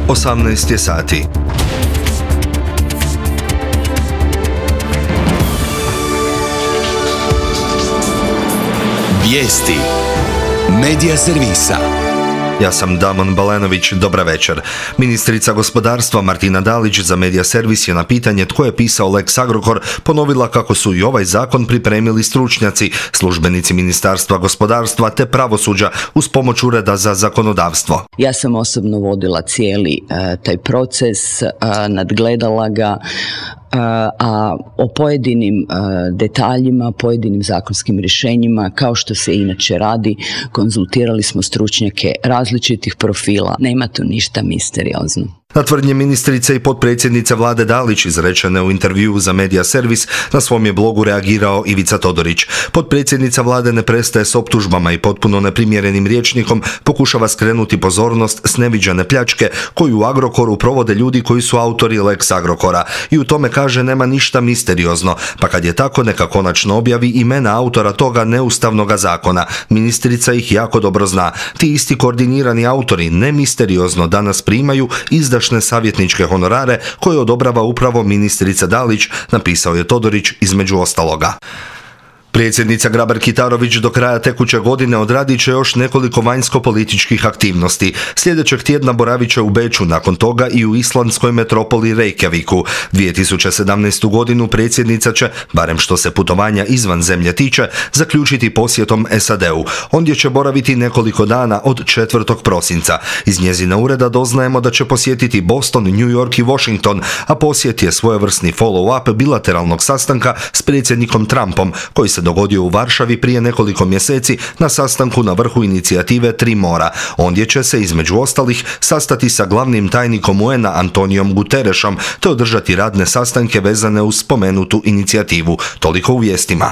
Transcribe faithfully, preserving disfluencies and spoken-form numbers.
osamnaest je sati. Vijesti Medija servisa. Ja sam Damon Balenović, dobra večer. Ministrica gospodarstva Martina Dalić za Medija servis je na pitanje tko je pisao Lex Agrokor ponovila kako su i ovaj zakon pripremili stručnjaci, službenici Ministarstva gospodarstva te pravosuđa uz pomoć Ureda za zakonodavstvo. Ja sam osobno vodila cijeli uh, taj proces, uh, nadgledala ga, a o pojedinim detaljima, pojedinim zakonskim rješenjima, kao što se inače radi, konzultirali smo stručnjake različitih profila. Nema tu ništa misteriozno. Na tvrdnje ministrice i potpredsjednice vlade Dalić izrečene u intervjuu za Medija servis na svom je blogu reagirao Ivica Todorić. Potpredsjednica vlade ne prestaje s optužbama i potpuno neprimjerenim rječnikom pokušava skrenuti pozornost s neviđene pljačke koju u Agrokoru provode ljudi koji su autori Lex Agrokora i u tome kaže nema ništa misteriozno, pa kad je tako neka konačno objavi imena autora toga neustavnoga zakona. Ministrica ih jako dobro zna. Ti isti koordinirani autori ne misteriozno danas primaju izdašne savjetničke honorare koje odobrava upravo ministrica Dalić, napisao je Todorić između ostaloga. Predsjednica Grabar-Kitarović do kraja tekuće godine odradit će još nekoliko vanjsko-političkih aktivnosti. Sljedećeg tjedna boravit će u Beču, nakon toga i u islandskoj metropoli Reykjaviku. dvije tisuće sedamnaestu. godinu predsjednica će, barem što se putovanja izvan zemlje tiče, zaključiti posjetom S A D-u. Ondje će boraviti nekoliko dana od četvrtog prosinca. Iz njezina ureda doznajemo da će posjetiti Boston, New York i Washington, a posjet je svojevrsni follow-up bilateralnog sastanka s predsjednikom Trumpom, koji se dogodio u Varšavi prije nekoliko mjeseci na sastanku na vrhu inicijative Tri mora. Ondje će se, između ostalih, sastati sa glavnim tajnikom U N A Antonijom Guterešom te održati radne sastanke vezane uz spomenutu inicijativu. Toliko u vijestima.